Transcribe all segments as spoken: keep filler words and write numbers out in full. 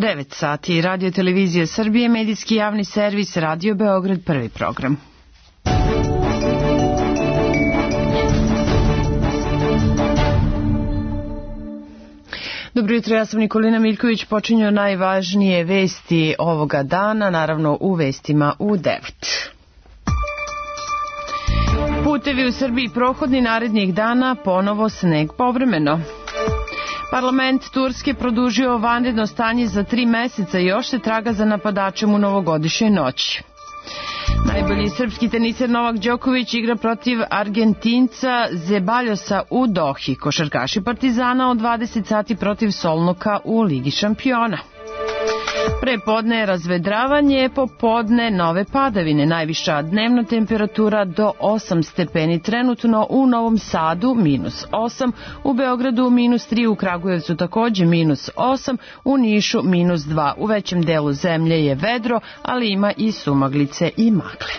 devet sati, Radio Televizija Srbije, medijski javni servis, Radio Beograd, prvi program. Dobro jutro, ja sam Nikolina Miljković, počinju najvažnije vesti ovoga dana, naravno u vestima u devet. Putevi u Srbiji prohodni narednih dana, ponovo sneg povremeno. Parlament Turske produžio vanredno stanje za tri meseca i još se traga za napadačem u novogodišnjoj noći. Najbolji srpski teniser Novak Đoković igra protiv Argentinca Zebaljosa u Dohi. Košarkaši Partizana od dvadeset sati protiv Solnoka u Ligi šampiona. Prepodne razvedravanje, popodne nove padavine. Najviša dnevna temperatura do osam stepeni. Trenutno u Novom Sadu minus osam, u Beogradu minus tri, u Kragujevcu takođe minus osam, u Nišu minus dva. U većem delu zemlje je vedro, ali ima i sumaglice i magle.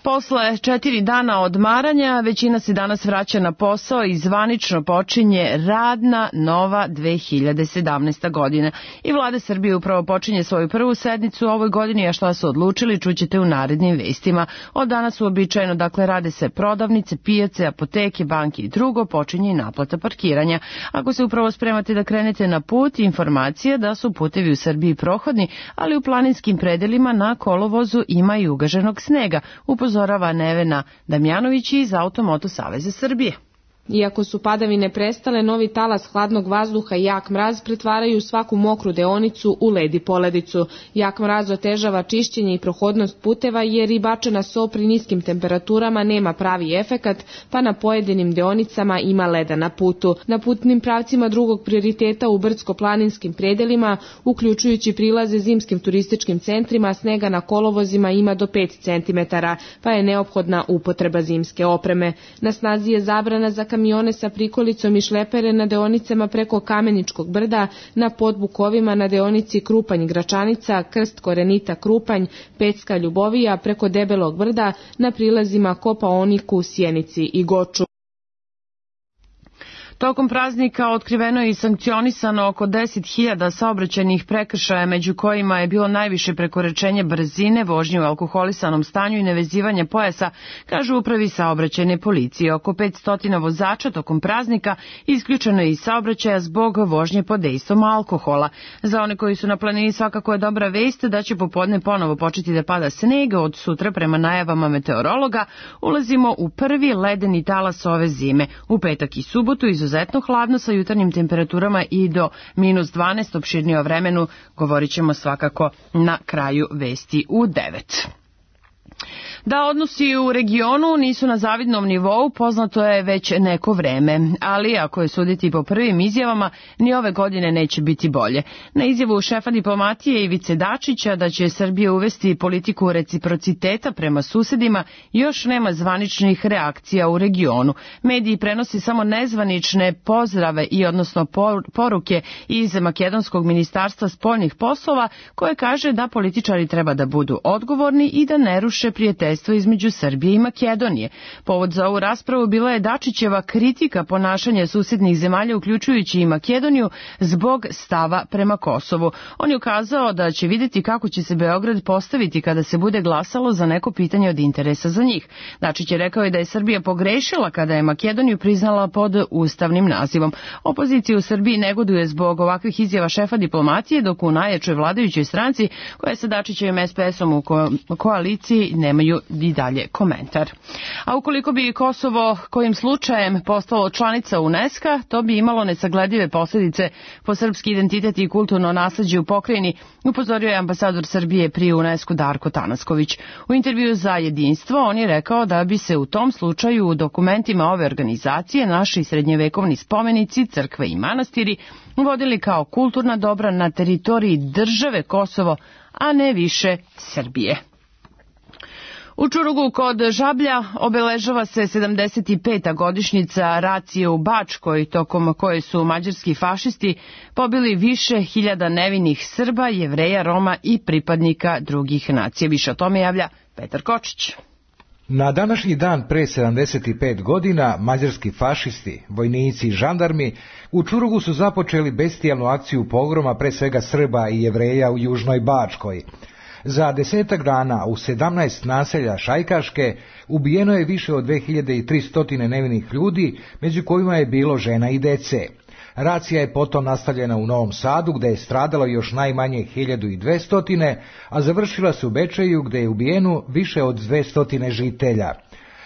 Posle četiri dana odmaranja, većina se danas vraća na posao i zvanično počinje radna nova dve hiljade sedamnaesta. godina. I vlada Srbije upravo počinje svoju prvu sednicu u ovoj godini, a šta su odlučili čućete u narednim vestima. Od danas uobičajeno, dakle, rade se prodavnice, pijace, apoteke, banke i drugo, počinje i naplata parkiranja. Ako se upravo spremate da krenete na put, informacija da su putevi u Srbiji prohodni, ali u planinskim predelima na kolovozu ima i ugaženog snega. Upozorava Nevena Damjanović iz Automoto Saveza Srbije. Iako su padavine prestale, novi talas hladnog vazduha i jak mraz pretvaraju svaku mokru deonicu u led i poledicu. Jak mraz otežava čišćenje i prohodnost puteva jer i bačena so pri niskim temperaturama nema pravi efekat, pa na pojedinim deonicama ima leda na putu. Na putnim pravcima drugog prioriteta u brdsko-planinskim predelima, uključujući prilaze zimskim turističkim centrima, snega na kolovozima ima do pet centimetara, pa je neophodna upotreba zimske opreme. Na snazi je zabrana za kamione sa prikolicom i šlepere na deonicama preko Kameničkog brda, na podbukovima na deonici Krupanj-Gračanica, Krst Korenita-Krupanj, Pecka-Ljubovija, preko Debelog brda, na prilazima Kopaoniku, Sjenici i Goču. Tokom praznika otkriveno je i sankcionisano oko deset hiljada saobraćajnih prekršaja, među kojima je bilo najviše prekoračenje brzine, vožnje u alkoholisanom stanju i nevezivanje pojasa, kažu u upravi saobraćajne policije. Oko petsto vozača tokom praznika isključeno je iz saobraćaja zbog vožnje pod dejstvom alkohola. Za one koji su na planini svakako je dobra vest da će popodne ponovo početi da pada sneg. Od sutra prema najavama meteorologa ulazimo u prvi ledeni talas ove zime. U petak i subotu iz izuzetno hladno sa jutarnjim temperaturama i do minus dvanaest, opširnije o vremenu govorit ćemo svakako na kraju vesti u devet. Da odnosi u regionu nisu na zavidnom nivou, poznato je već neko vreme, ali ako je suditi po prvim izjavama, ni ove godine neće biti bolje. Na izjavu šefa diplomatije Ivice Dačića da će Srbija uvesti politiku reciprociteta prema susedima, još nema zvaničnih reakcija u regionu. Mediji prenosi samo nezvanične pozdrave i odnosno poruke iz Makedonskog ministarstva spoljnih poslova, koje kaže da političari treba da budu odgovorni i da ne ruše prijateljstvo između Srbije i Makedonije. Povod za ovu raspravu bila je Dačićeva kritika ponašanja susednih zemalja, uključujući i Makedoniju, zbog stava prema Kosovu. On je ukazao da će vidjeti kako će se Beograd postaviti kada se bude glasalo za neko pitanje od interesa za njih. Dačić je rekao i da je Srbija pogrešila kada je Makedoniju priznala pod ustavnim nazivom. Opozicija u Srbiji negoduje zbog ovakvih izjava šefa diplomatije, dok u najjačoj vladajućoj stranci, koja je sa Dačićevim es pe esom u ko- koaliciji, nemaju i dalje komentar. A ukoliko bi Kosovo kojim slučajem postalo članica UNESCO, to bi imalo nesagledive posljedice po srpski identitet i kulturno nasleđe u pokrajini, upozorio je ambasador Srbije pri UNESCO Darko Tanasković. U intervju za Jedinstvo on je rekao da bi se u tom slučaju u dokumentima ove organizacije naši srednjevekovni spomenici, crkve i manastiri vodili kao kulturna dobra na teritoriji države Kosovo, a ne više Srbije. U Čurugu kod Žablja obeležava se sedamdeset peta godišnjica racije u Bačkoj, tokom koje su mađarski fašisti pobili više hiljada nevinih Srba, Jevreja, Roma i pripadnika drugih nacija. Više o tome javlja Petar Kočić. Na današnji dan pre sedamdeset pet godina mađarski fašisti, vojnici i žandarmi u Čurugu su započeli bestijalnu akciju pogroma pre svega Srba i Jevreja u Južnoj Bačkoj. Za desetak dana u sedamnaest naselja Šajkaške ubijeno je više od dve hiljade tristo nevinih ljudi, među kojima je bilo žena i dece. Racija je potom nastavljena u Novom Sadu, gde je stradalo još najmanje hiljadu dvesta, a završila se u Bečeju, gde je ubijeno više od dvesta žitelja.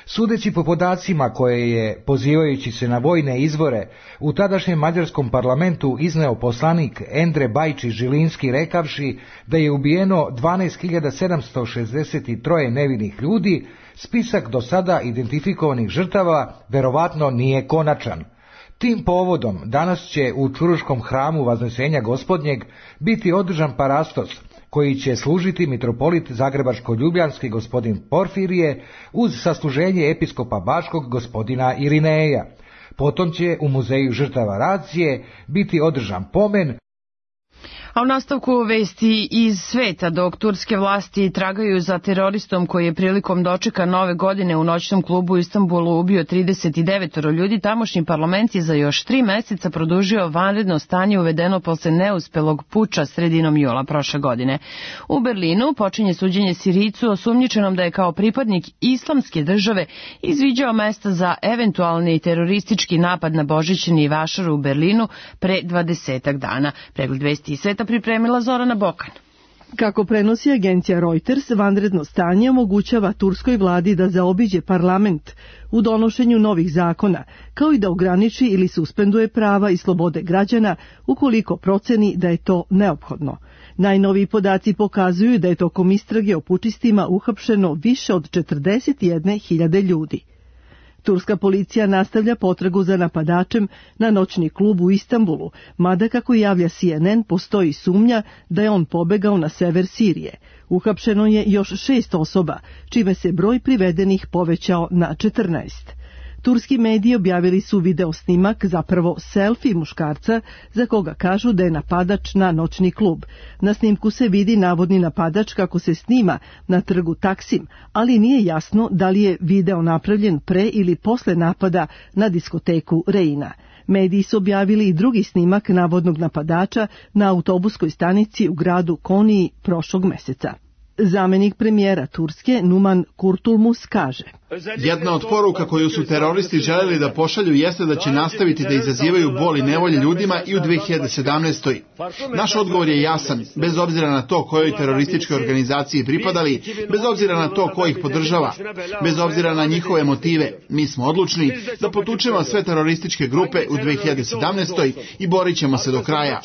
Sudeći po podacima koje je, pozivajući se na vojne izvore, u tadašnjem mađarskom parlamentu izneo poslanik Endre Bajči Žilinski rekavši da je ubijeno dvanaest hiljada sedamsto šezdeset tri nevinih ljudi, spisak do sada identifikovanih žrtava verovatno nije konačan. Tim povodom danas će u Čuruškom hramu Vaznesenja Gospodnjeg biti održan parastos, koji će služiti mitropolit Zagrebačko-Ljubljanski gospodin Porfirije uz sasluženje episkopa Bačkog gospodina Irineja. Potom će u muzeju žrtava Racije biti održan pomen. A u nastavku vesti iz sveta, dok turske vlasti tragaju za teroristom koji je prilikom dočeka nove godine u noćnom klubu u Istanbulu ubio trideset devet ljudi, tamošnji parlament je za još tri meseca produžio vanredno stanje uvedeno posle neuspelog puča sredinom jula prošle godine. U Berlinu počinje suđenje Sirijcu osumnjičenom da je kao pripadnik islamske države izviđao mesta za eventualni teroristički napad na Božićni vašar u Berlinu pre dvadesetak dana. Pregled vesti iz sveta pripremila Zorana Bokan. Kako prenosi agencija Reuters, vanredno stanje omogućava turskoj vladi da zaobiđe parlament u donošenju novih zakona, kao i da ograniči ili suspenduje prava i slobode građana ukoliko proceni da je to neophodno. Najnoviji podaci pokazuju da je tokom istrage o pučistima uhapšeno više od četrdeset jedne hiljade ljudi. Turska policija nastavlja potragu za napadačem na noćni klub u Istanbulu, mada kako javlja C N N postoji sumnja da je on pobegao na sever Sirije. Uhapšeno je još šest osoba, čime se broj privedenih povećao na četrnaest. Turski mediji objavili su video snimak, zapravo selfie muškarca, za koga kažu da je napadač na noćni klub. Na snimku se vidi navodni napadač kako se snima na trgu Taksim, ali nije jasno da li je video napravljen pre ili posle napada na diskoteku Reina. Mediji su objavili i drugi snimak navodnog napadača na autobuskoj stanici u gradu Koniji prošlog meseca. Zamenik premijera Turske Numan Kurtulmus kaže: Jedna od poruka koju su teroristi želeli da pošalju jeste da će nastaviti da izazivaju bol i nevolje ljudima i u dve hiljade sedamnaestoj. Naš odgovor je jasan, bez obzira na to kojoj terorističkoj organizaciji pripadali, bez obzira na to ko ih podržava, bez obzira na njihove motive. Mi smo odlučni da potučemo sve terorističke grupe u dve hiljade sedamnaestoj i borit ćemo se do kraja.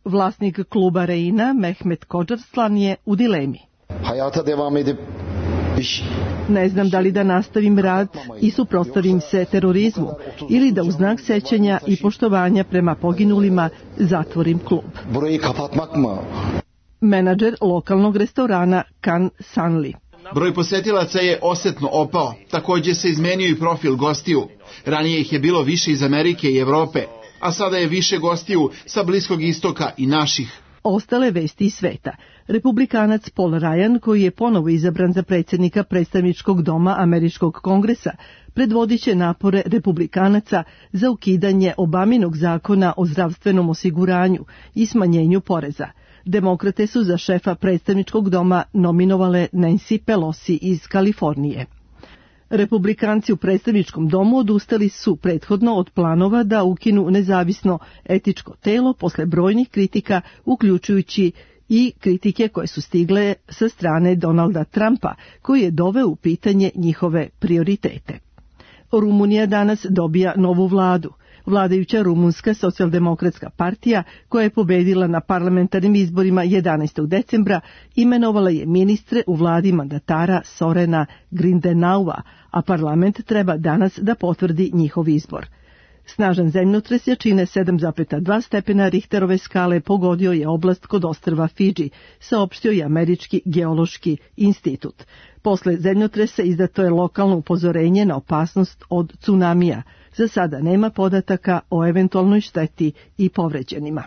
Vlasnik kluba Reina, Mehmet Kođarslan, je u dilemi. Hayata devam edip Ne znam da li da nastavim rad i suprotstavim se terorizmu ili da u znak sećanja i poštovanja prema poginulima zatvorim klub. Burayı kapatmak mı? Menadžer lokalnog restorana Kan Sanli. Broj posetilaca je osetno opao. Također se izmenio i profil gostiju. Ranije ih je bilo više iz Amerike i Evrope, a sada je više gostiju sa Bliskog istoka i naših. Ostale vesti iz sveta. Republikanac Paul Ryan, koji je ponovo izabran za predsjednika predstavničkog doma Američkog kongresa, predvodit će napore republikanaca za ukidanje Obaminog zakona o zdravstvenom osiguranju i smanjenju poreza. Demokrate su za šefa predstavničkog doma nominovale Nancy Pelosi iz Kalifornije. Republikanci u predstavničkom domu odustali su prethodno od planova da ukinu nezavisno etičko telo posle brojnih kritika, uključujući i kritike koje su stigle sa strane Donalda Trumpa, koji je doveo u pitanje njihove prioritete. Rumunija danas dobija novu vladu. Vladajuća Rumunska socijaldemokratska partija, koja je pobedila na parlamentarnim izborima jedanaestog decembra, imenovala je ministre u vladi mandatara Sorena Grindenaua, a parlament treba danas da potvrdi njihov izbor. Snažan zemljotres jačine sedam zarez dva stepena Richterove skale pogodio je oblast kod ostrva Fidži, saopštio je Američki geološki institut. Posle zemljotresa izdato je lokalno upozorenje na opasnost od tsunamija. Za sada nema podataka o eventualnoj šteti i povređenima.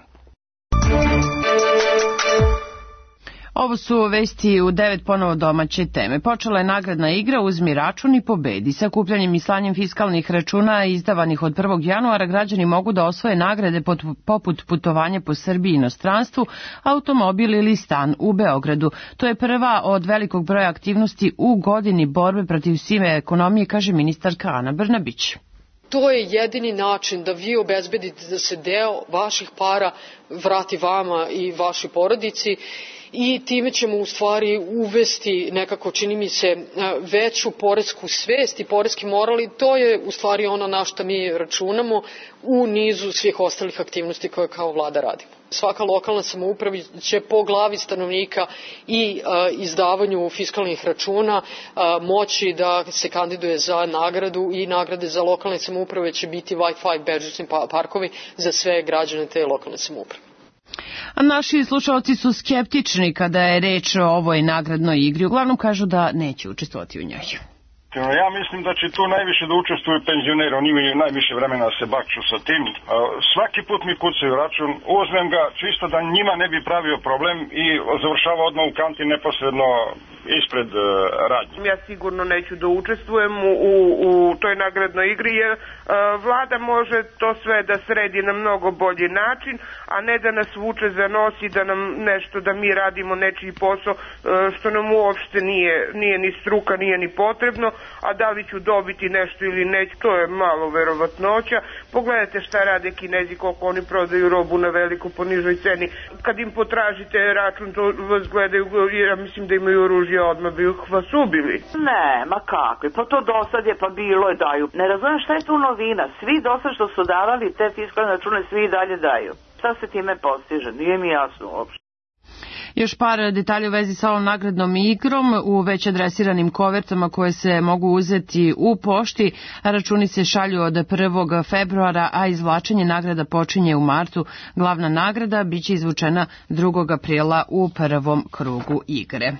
Ovo su vesti u devet ponovo domaće teme. Počela je nagradna igra Uzmi račun i pobedi. Sakupljanjem i slanjem fiskalnih računa izdavanih od prvog januara građani mogu da osvoje nagrade poput putovanja po Srbiji i inostranstvu, automobil ili stan u Beogradu. To je prva od velikog broja aktivnosti u godini borbe protiv sive ekonomije, kaže ministarka Ana Brnabić. To je jedini način da vi obezbedite da se deo vaših para vrati vama i vašoj porodici i time ćemo u stvari uvesti nekako, čini mi se, veću poresku svest i poreski moral i to je u stvari ono na što mi računamo u nizu svih ostalih aktivnosti koje kao vlada radimo. Svaka lokalna samouprava će po glavi stanovnika i a, izdavanju fiskalnih računa a, moći da se kandiduje za nagradu i nagrade za lokalne samouprave će biti Wi-Fi bežični parkovi za sve građane te lokalne samouprave. A naši slušalci su skeptični kada je reč o ovoj nagradnoj igri. Uglavnom kažu da neće učestvovati u njoj. Ja mislim da će tu najviše da učestvuju penzioneri, oni imaju najviše vremena da se bakću sa tim. Svaki put mi kucaju račun, uzmem ga čisto da njima ne bi pravio problem i završava odmah u kanti neposredno ispred uh, radnje. Ja sigurno neću da učestvujem u, u, u toj nagradnoj igri jer uh, vlada može to sve da sredi na mnogo bolji način, a ne da nas vuče za nos i da nam nešto, da mi radimo nečiji posao uh, što nam uopšte nije, nije ni struka, nije ni potrebno, a da li ću dobiti nešto ili neću, to je malo verovatnoća. Pogledajte šta rade Kinezi, koliko oni prodaju robu na veliko po nižoj ceni. Kad im potražite račun, to vas gledaju, ja mislim da imaju oružje, odmah bi vas ubili. Ne, ma kakvi, pa to dosad je, pa bilo je daju. Ne razumijem šta je tu novina, svi dosad što su davali te fiskalne račune, svi i dalje daju. Šta se time postiže, nije mi jasno uopšte. Još par detalja u vezi sa ovom nagradnom igrom. U već adresiranim kovertama koje se mogu uzeti u pošti, računi se šalju od prvog februara, a izvlačenje nagrada počinje u martu. Glavna nagrada biće izvučena drugog aprila u prvom krugu igre.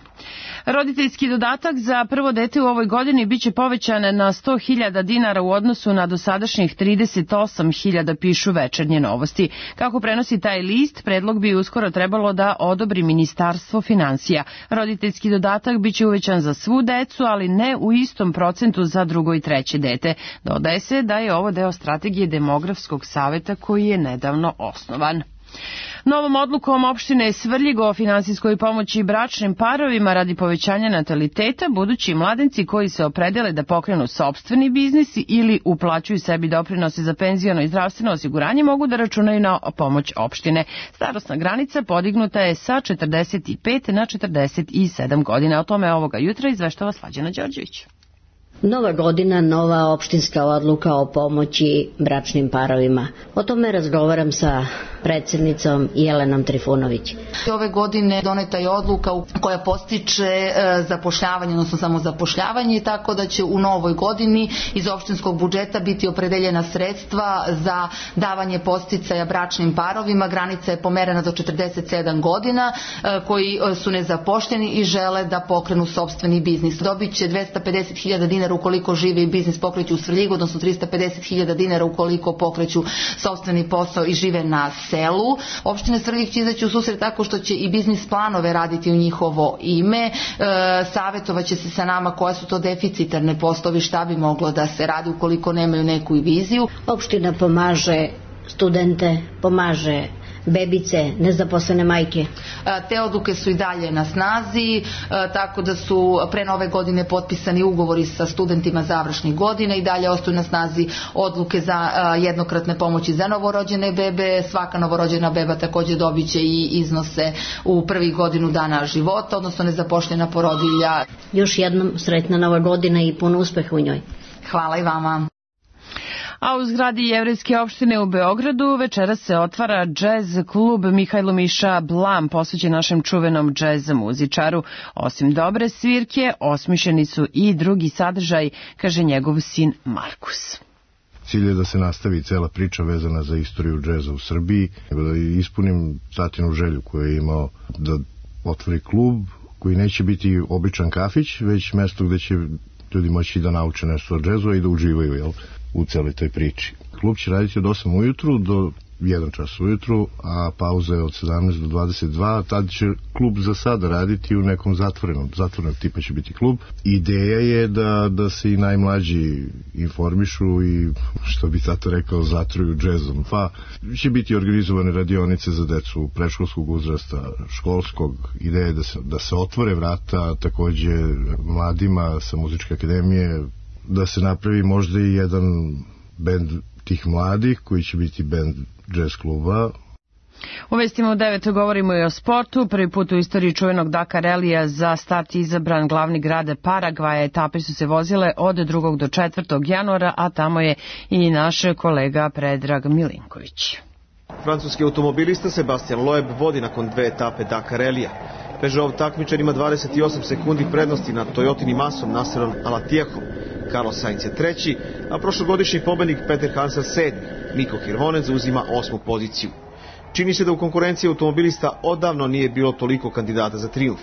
Roditeljski dodatak za prvo dete u ovoj godini biće povećan na sto hiljada dinara u odnosu na dosadašnjih trideset osam hiljada, pišu Večernje novosti. Kako prenosi taj list, predlog bi uskoro trebalo da odobri Ministarstvo finansija. Roditeljski dodatak biće uvećan za svu decu, ali ne u istom procentu za drugo i treće dete. Dodaje se da je ovo deo strategije Demografskog saveta koji je nedavno osnovan. Novom odlukom opštine Svrljig o finansijskoj pomoći bračnim parovima radi povećanja nataliteta, budući mladenci koji se opredele da pokrenu sopstveni biznis ili uplaćuju sebi doprinose za penziono i zdravstveno osiguranje mogu da računaju na pomoć opštine. Starosna granica podignuta je sa četrdeset pet na četrdeset sedam godina. O tome ovoga jutra izveštava Slađana Đorđević. Nova godina, nova opštinska odluka o pomoći bračnim parovima. O tome razgovaram sa predsjednicom Jelenom Trifunović. Ove godine doneta je odluka koja postiče zapošljavanje, odnosno samozapošljavanje, tako da će u novoj godini iz opštinskog budžeta biti opredeljena sredstva za davanje podsticaja bračnim parovima. Granica je pomerena do četrdeset sedam godina, koji su nezapošljeni i žele da pokrenu sopstveni biznis. Dobit će dvesta pedeset hiljada dinara ukoliko žive i biznis pokreću u Svrljigu, odnosno trista pedeset hiljada dinara ukoliko pokreću sopstveni posao i žive na selu. Opština Svrljig će izaći u susret tako što će i biznis planove raditi u njihovo ime. E, savjetovaće se sa nama koja su to deficitarne poslovi, šta bi moglo da se radi ukoliko nemaju neku viziju. Opština pomaže studente, pomaže bebice, nezaposlene majke. Te odluke su i dalje na snazi, tako da su pre nove godine potpisani ugovori sa studentima završnih godina i dalje ostaju na snazi odluke za jednokratne pomoći za novorođene bebe. Svaka novorođena beba također dobit će i iznose u prvih godinu dana života, odnosno nezaposlena porodilja. Još jednom sretna nova godina i puno uspeha u njoj. Hvala i vama. A u zgradi Jevrejske opštine u Beogradu večeras se otvara džez klub Mihajlo Miša Blam, posvećen našem čuvenom džez muzičaru. Osim dobre svirke, osmišljeni su i drugi sadržaj, kaže njegov sin Markus. Cilj je da se nastavi cela priča vezana za istoriju džeza u Srbiji, da ispunim tatinu želju koju je imao da otvori klub koji neće biti običan kafić, već mesto gde će ljudi moći da nauče nešto o džezu i da uživaju, jel, u celoj toj priči. Klub će raditi od osam ujutru do jedan čas ujutru, a pauza je od sedamnaest do dvadeset dva, tad će klub za sada raditi u nekom zatvorenom, zatvorenog tipa će biti klub. Ideja je da, da se i najmlađi informišu i, što bi tato rekao, zatruju džezom. Pa će biti organizovane radionice za decu predškolskog uzrasta, školskog. Ideja je da se, da se otvore vrata takođe mladima sa muzičke akademije, da se napravi možda i jedan bend tih mladih koji će biti bend jazz kluba. U vestima u devet govorimo i o sportu. Prvi put u istoriji čuvenog Dakar Rallyja za start izabran glavni grad Paragvaja. Etape su se vozile od drugog do četvrtog januara, a tamo je i naš kolega Predrag Milinković. Francuski automobilista Sebastian Loeb vodi nakon dve etape Dakar Rallyja. Peugeot takmičar ima dvadeset osam sekundi prednosti nad Toyotinim asom Nasserom Alatijahom. Carlos Sainz je treći, a prošlogodišnji pobednik Peter Hansel sedmi. Niko Hirvonen zauzima osmu poziciju. Čini se da u konkurenciji automobilista odavno nije bilo toliko kandidata za trijumf.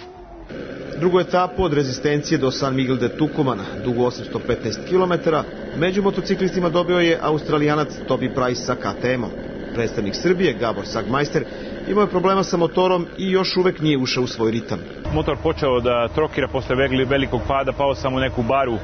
Drugu etapu od Rezistencije do San Miguel de Tucumana, dugo osamsto petnaest kilometara, među motociklistima dobio je Australijanac Toby Price sa K T M-om. Predstavnik Srbije, Gabor Sagmajster, imao je problema sa motorom i još uvek nije ušao u svoj ritam. Motor počeo da trokira posle velikog pada, pao sam u neku baru.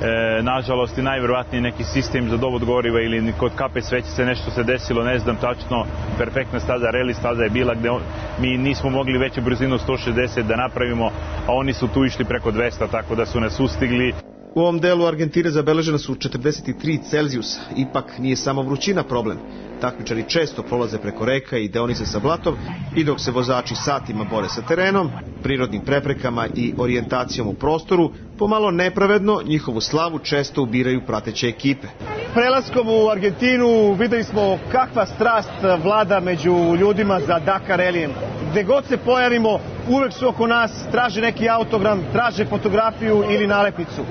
E, nažalost i najverovatnije neki sistem za dovod goriva ili kod kape svećice nešto se desilo, ne znam tačno. Perfektna staza, reli staza je bila gde on, mi nismo mogli veću brzinu sto šezdeset da napravimo, a oni su tu išli preko dvesta, tako da su nas ustigli. U ovom delu Argentine zabeležena su četrdeset tri Celzijusa, ipak nije samo vrućina problem. Takmičari često prolaze preko reka i deonice sa blatom i dok se vozači satima bore sa terenom, prirodnim preprekama i orijentacijom u prostoru, pomalo nepravedno njihovu slavu često ubiraju prateće ekipe. Prelaskom u Argentinu videli smo kakva strast vlada među ljudima za Dakar Rallyjem. Gde god se pojavimo, uvek su oko nas, traže neki autogram, traže fotografiju ili nalepnicu.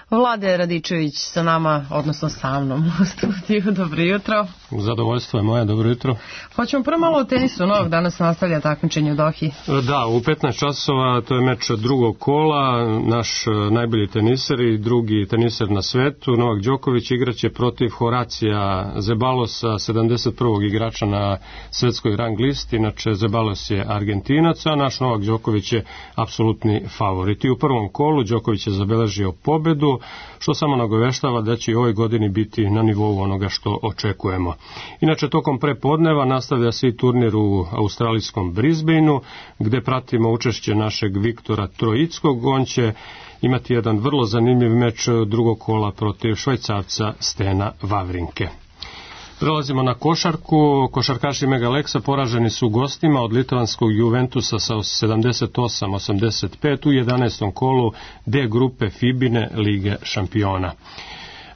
Vlade Radičević sa nama, odnosno sa mnom u studiju. Dobro jutro. Zadovoljstvo je moje, dobro jutro. Hoćemo prvo malo o tenisu. Novog danas nastavlja takmičenje u Dohi. Da, u petnaest časova, to je meč drugog kola. Naš najbolji teniser i drugi teniser na svetu, Novak Đoković, igraće protiv Horacija Zebalosa, sedamdeset prvog igrača na svetskoj rang listi. Inače, Zebalos je Argentinac, a naš Novak Đoković je apsolutni favorit. I u prvom kolu Đoković je zabeležio pobedu, što samo nagoveštava da će i ovoj godini biti na nivou onoga što očekujemo. Inače, tokom prepodneva nastavlja se i turnir u australijskom Brisbaneu, gde pratimo učešće našeg Viktora Trojickog. On će imati jedan vrlo zanimljiv meč drugog kola protiv Švajcarca Stena Wawrinke. Prelazimo na košarku. Košarkaši Megaleksa poraženi su gostima od litvanskog Juventusa sa sedamdeset osam osamdeset pet u jedanaestom kolu D grupe Fibine Lige šampiona.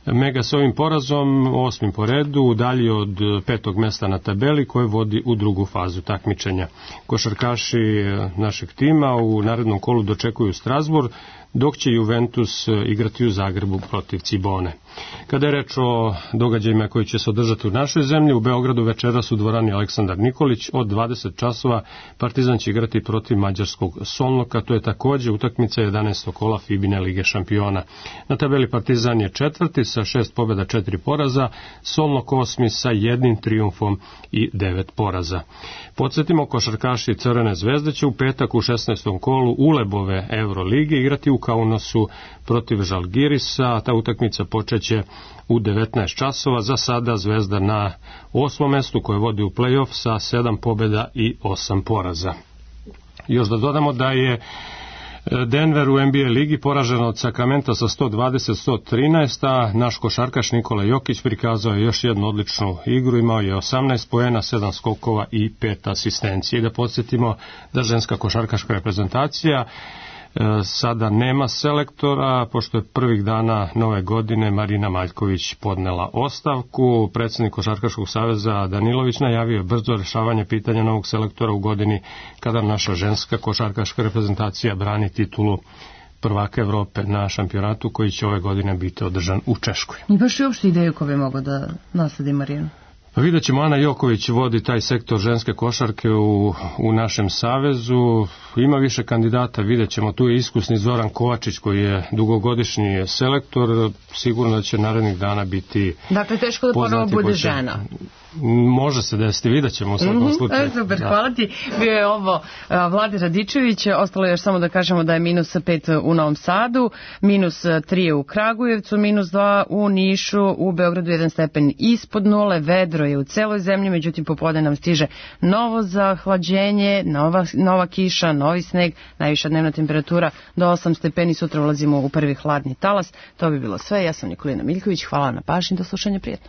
Mega s ovim porazom, osmim po redu, udalji od petog mesta na tabeli koje vodi u drugu fazu takmičenja. Košarkaši našeg tima u narednom kolu dočekuju Strasbourg, dok će Juventus igrati u Zagrebu protiv Cibone. Kada je reč o događajima koji će se održati u našoj zemlji, u Beogradu večeras u dvorani Aleksandar Nikolić od dvadeset časova Partizan će igrati protiv mađarskog Solnoka, to je takođe utakmica jedanaestog kola Fibine Lige šampiona. Na tabeli Partizan je četvrti sa šest pobjeda, četiri poraza, Solnok osmi sa jednim trijumfom i devet poraza. Podsjetimo, košarkaši Crvene zvezde će u petak u šesnaestom kolu Ulebove Eurolige igrati u Kaunasu protiv Žalgirisa, a ta utakmica počeće u devetnaest časova. Za sada Zvezda na osmom mestu koje vodi u play-off sa sedam pobjeda i osam poraza. Još da dodamo da je Denver u N B A ligi poražen od Sacramento sa sto dvadeset sto trinaest, a naš košarkaš Nikola Jokić prikazao je još jednu odličnu igru, imao je osamnaest poena, sedam skokova i pet asistencije. I da podsjetimo da ženska košarkaška reprezentacija sada nema selektora, pošto je prvih dana nove godine Marina Maljković podnela ostavku. Predsjednik Košarkaškog saveza Danilović najavio brzo rešavanje pitanja novog selektora u godini kada naša ženska košarkaška reprezentacija brani titulu prvaka Evrope na šampionatu koji će ove godine biti održan u Češkoj. I baš i uopšte ideju ko bi mogo da nasledi Marinu? Pa vidjet ćemo, Ana Joković vodi taj sektor ženske košarke u, u našem savezu. Ima više kandidata, vidjet ćemo. Tu je iskusni Zoran Kovačić koji je dugogodišnji selektor. Sigurno da će narednih dana biti dakle, teško da ponovo bude će... žena. Može se desiti, vidjet ćemo u svakom slučaju. Super, hvala ti. Bio je ovo Vlade Radičević, ostalo je još samo da kažemo da je minus pet u Novom Sadu, minus tri u Kragujevcu, minus dva u Nišu, u Beogradu jedan stepen ispod nule, vedro je u celoj zemlji, međutim popodne nam stiže novo zahlađenje, nova, nova kiša, novi sneg, najviša dnevna temperatura do osam stepeni, sutra ulazimo u prvi hladni talas. To bi bilo sve, ja sam Nikolina Miljković, hvala na pažnji, do slušanja, prijetno.